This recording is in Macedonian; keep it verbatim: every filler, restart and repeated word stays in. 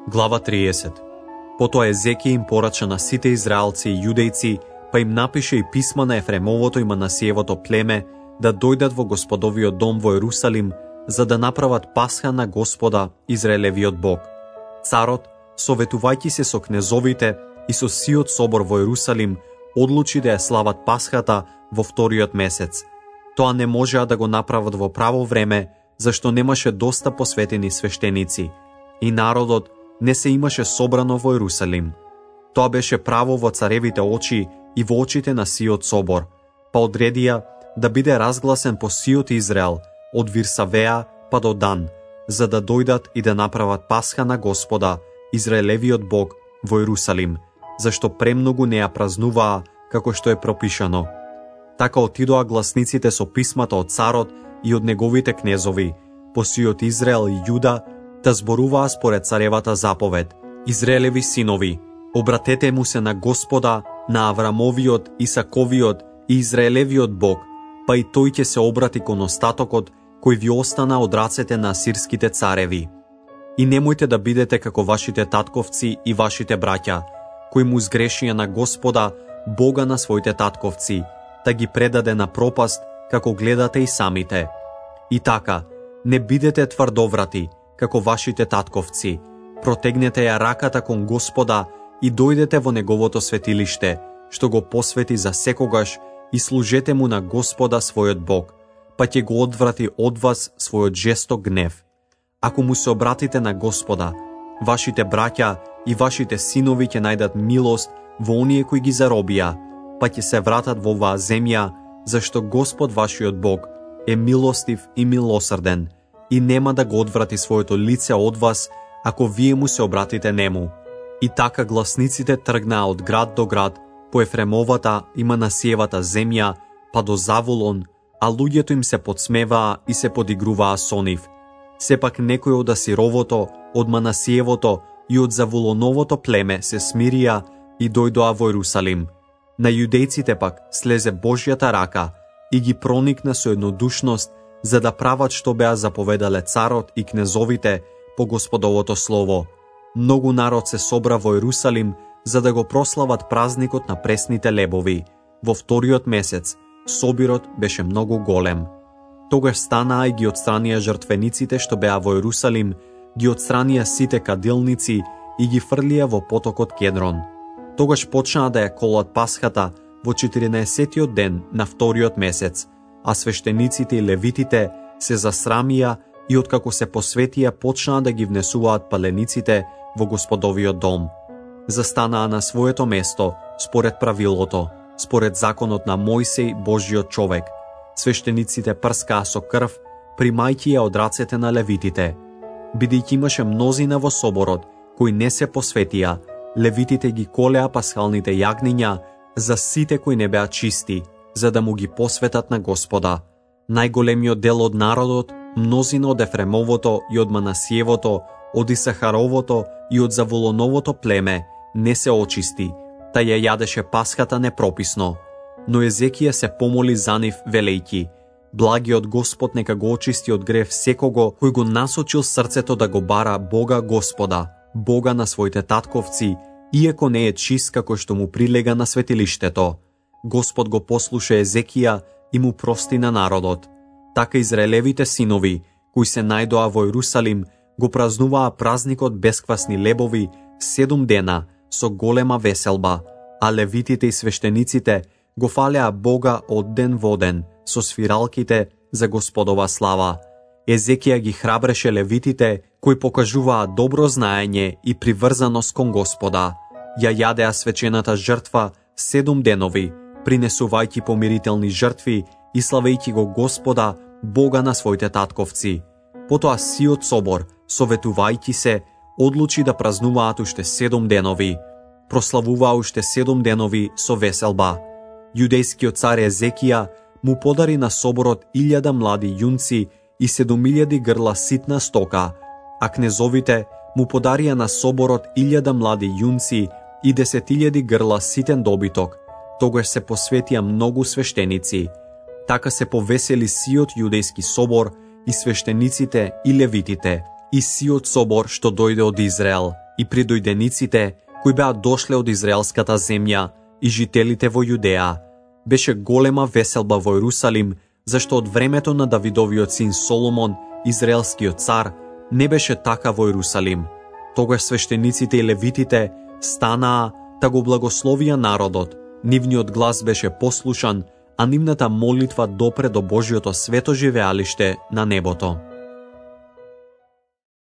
Глава триесет. Потоа Езекија им порача на сите израелци и јудејци, па им напише и писма на Ефремовото и Манасиевото племе да дојдат во Господовиот дом во Ерусалим, за да направат Пасха на Господа, Израелевиот Бог. Царот, советувајќи се со кнезовите и со сиот собор во Ерусалим, одлучи да ја слават Пасхата во вториот месец. Тоа не можеа да го направат во право време, зашто немаше доста посветени свештеници, и народот не се имаше собрано во Ерусалим. Тоа беше право во царевите очи и во очите на сиот собор, па одредија да биде разгласен по сиот Израел, од Вирсавеа па до Дан, за да дојдат и да направат Пасха на Господа, Израелевиот Бог, во Ерусалим, зашто премногу не ја празнуваа како што е пропишано. Така отидоа гласниците со писмата од царот и од неговите кнезови, по сиот Израел и Јуда, да зборуваа според царевата заповед: Израелеви синови, обратете му се на Господа, на Аврамовиот, Исаковиот и Израелевиот Бог, па и тој ќе се обрати кон остатокот кој ви остана од рацете на асирските цареви. И немојте да бидете како вашите татковци и вашите браќа, кои му сгрешија на Господа, Бога на своите татковци, да ги предаде на пропаст, како гледате и самите. И така, не бидете тврдоврати, како вашите татковци, протегнете ја раката кон Господа и дојдете во неговото светилиште, што го посвети за секогаш, и служете му на Господа својот Бог, па ќе го одврати од вас својот жесток гнев. Ако му се обратите на Господа, вашите браќа и вашите синови ќе најдат милост во оние кои ги заробија, па ќе се вратат во оваа земја, зашто Господ вашиот Бог е милостив и милосрден и нема да го одврати своето лице од вас, ако вие му се обратите нему. И така гласниците тргнаа од град до град, по Ефремовата и Манасиевата земја, па до Завулон, а луѓето им се подсмеваа и се подигруваа со нив. Сепак некои од Асировото, од Манасиевото и од Завулоновото племе се смирија и дојдоа во Ерусалим. На јудејците пак слезе Божјата рака и ги проникна со еднодушност, за да прават што беа заповедале царот и кнезовите по Господовото слово. Многу народ се собра во Ерусалим, за да го прослават празникот на пресните лебови. Во вториот месец собирот беше многу голем. Тогаш станаа и ги отстранија жртвениците што беа во Ерусалим, ги отстранија сите кадилници и ги фрлија во потокот Кедрон. Тогаш почнаа да ја колат Пасхата во четиринаесеттиот ден на вториот месец, а свештениците и левитите се засрамија и откако се посветија почнаа да ги внесуваат палениците во Господовиот дом. Застанаа на своето место според правилото, според законот на Мојсей, Божјиот човек. Свештениците прскаа со крв, примајќи ја од рацете на левитите. Бидејќи имаше мнозина во соборот кои не се посветија, левитите ги колеа пасхалните јагниња за сите кои не беа чисти, за да му ги посветат на Господа. Најголемиот дел од народот, мнозина од Ефремовото и од Манасиевото, од Исахаровото и од Завулоновото племе не се очисти, та ја јадеше Пасхата непрописно. Но Езекија се помоли за нив, велејќи: Благиот Господ нека го очисти од грев секого кој го насочил срцето да го бара Бога Господа, Бога на своите татковци, иако не е чист како што му прилега на светилиштето. Господ го послуша Езекија и му прости на народот. Така Израелевите синови, кои се најдоа во Ерусалим, го празнуваа празникот бесквасни лебови седум дена со голема веселба, а левитите и свештениците го фалеа Бога од ден во ден со свиралките за Господова слава. Езекија ги храбреше левитите кои покажуваа добро знаење и приврзаност кон Господа. Ја јадеа свечената жртва седум денови, принесувајќи помирителни жртви и славејќи го Господа, Бога на своите татковци. Потоа сиот собор, советувајќи се, одлучи да празнуваат уште седум денови. Прославуваа уште седум денови со веселба. Јудејскиот цар Езекија му подари на соборот илјада млади јунци и седумилјади грла ситна стока, а кнезовите му подарија на соборот илјада млади јунци и десетилјади грла ситен добиток. Тогаш се посветија многу свештеници. Така се повесели сиот јудејски собор и свештениците и левитите, и сиот собор што дојде од Израел. и придојдениците кои беа дошле од израелската земја и жителите во Јудеа. Беше голема веселба во Ерусалим, зашто од времето на Давидовиот син Соломон, израелскиот цар, не беше така во Ерусалим. Тогаш свештениците и левитите станаа та го благословија народот. Нивниот глас беше послушан, а нивната молитва допре до Божјото свето живеалиште на небото.